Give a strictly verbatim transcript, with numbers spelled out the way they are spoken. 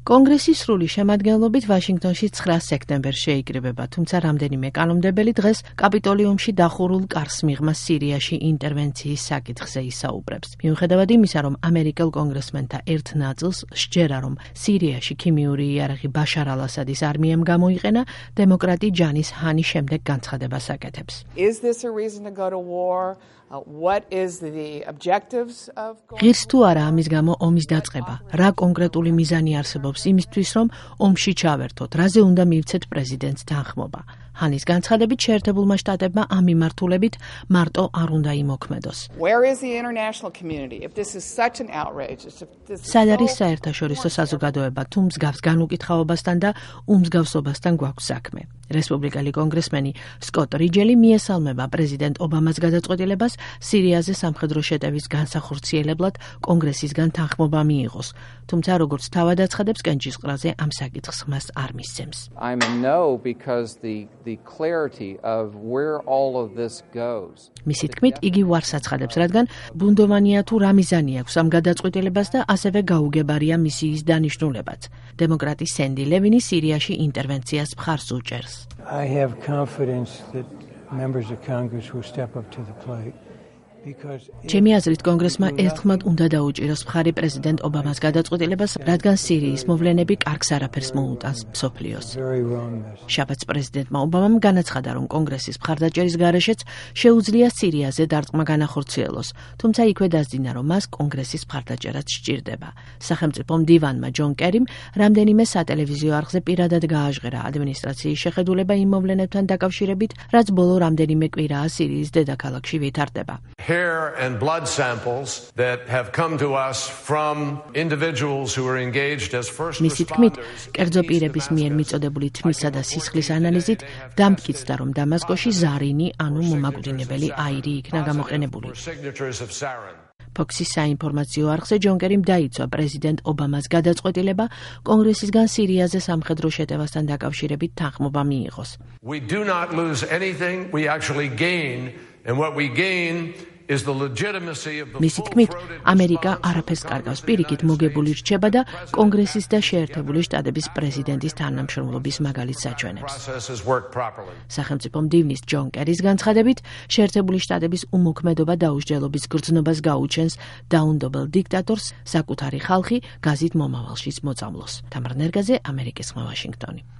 კონგრესის სრული შემადგენლობით ვაშინგტონში ცხრა სექტემბერს შეიკრიბება, თუმცა რამდენიმე კანონმდებელი დღეს კაპიტოლიუმში დახურულ კარს მიღმა სირიაში ინტერვენციის საკითხზე ისაუბრებს. მიუხედავად იმისა, რომ ამერიკელ კონგრესმენთა ერთ ნაწილს სჯერა, რომ სირიაში ქიმიური იარაღი ბაშარ ალ-ასადის არმიამ გამოიყენა, დემოკრატი ჯანის ჰანი შემდეგ განცხადებას აკეთებს. Is this a reason to go to war? Uh, what is the objectives of ღირს თუ არა ამის გამო ომის დაწყება? რა კონკრეტული მიზანი არსებობს იმისთვის, რომ ომში ჩავერთოთ? რაზე უნდა მივცეთ პრეზიდენტს თანხმობა? ჰანის განცხადებით, შეერთებულმა შტატებმა ამ მიმართულებით მარტო არ უნდა იმოქმედოს. Where is the international community? If this is such an outrage, if this is სად არის საერთაშორისო საზოგადოება, თუ მსგავს განუკითხაობასთან და უმსგავსობასთან გვაქვს საქმე? რესპუბლიკელი კონგრესმენი სკოტ რიჯელი მიესალმება პრეზიდენტ ობამას გადაწყვეტილებას სირიაზე სამხედრო შეტევის განსახორციელებლად კონგრესისგან თანხმობა მიიღოს. თუმცა როგორც თავად აცხადებს, კენჭისყრაზე ამ საკითხს მას არ მისცემს. I'm a no because the the clarity of where all of this goes. მისი თქმით, იგი ვარს აცხადებს, რადგან ბუნდოვანია თუ რა მიზანი აქვს ამ გადაწყვეტილებას და ასევე გაუგებარია მისიის დანიშნულებაც. დემოკრატი სენდი ლევინი სირიაში ინტერვენციას მხარს უჭერს. I have confidence that members of Congress will step up to the plate. ჩემი აზრით, კონგრესმა ერთხმად უნდა დაუჭიროს მხარი პრეზიდენტ ობამას გადაწყვეტილებას, რადგან სირიის მოვლენები კარგს არაფერს მოუტანს მსოფლიოს. შაბათს პრეზიდენტმა ობამამ განაცხადა, რომ კონგრესის მხარდაჭერის გარეშეც შეუძლია სირიაზე დარტყმა განახორციელოს, თუმცა იქვე დასძინა, რომ მას კონგრესის მხარდაჭერაც სჭირდება. სახელმწიფო მდივანმა ჯონ კერიმ რამდენიმე სატელევიზიო არხზე პირადად გააჟღერა ადმინისტრაციის შეხედულება იმ მოვლენებთან დაკავშირებით, რაც ბოლო რამდენიმე კვირაა სირიის დედაქალაქში ვითარდება. Hair and blood samples that have come to us from individuals who are engaged as first მისი თქმით, კერძო პირების მიერ მიწოდებული თმისა და სისხლის ანალიზით დამტკიცდა, რომ დამასკოში ზარინი, ანუ მომაკვდინებელი აირი იქნა გამოყენებული. ფოქსის საინფორმაციო არხზე ჯონ კერიმ დაიცვა პრეზიდენტ ობამას გადაწყვეტილება კონგრესისგან სირიაზე სამხედრო შეტევასთან დაკავშირებით თანხმობა მიიღოს. We do not lose anything, we actually gain, and what we gain is the legitimacy of the მისი თქმით, ამერიკა არაფერს კარგავს, პირიქით მოგებული რჩება და კონგრესის და შეერთებული შტატების პრეზიდენტის თანამშრომლობის მაგალითს აჩვენებს. სახელმწიფო მდივნის ჯონ კერის განცხადებით, შეერთებული შტატების უმოქმედობა დაუსჯელობის გრძნობას გაუჩენს დაუნდობელ დიქტატორს, საკუთარი ხალხი გაზით მომავალშიც მოწამლოს. თამარ ნერგაძე, ამერიკის ხმა, ვაშინგტონი.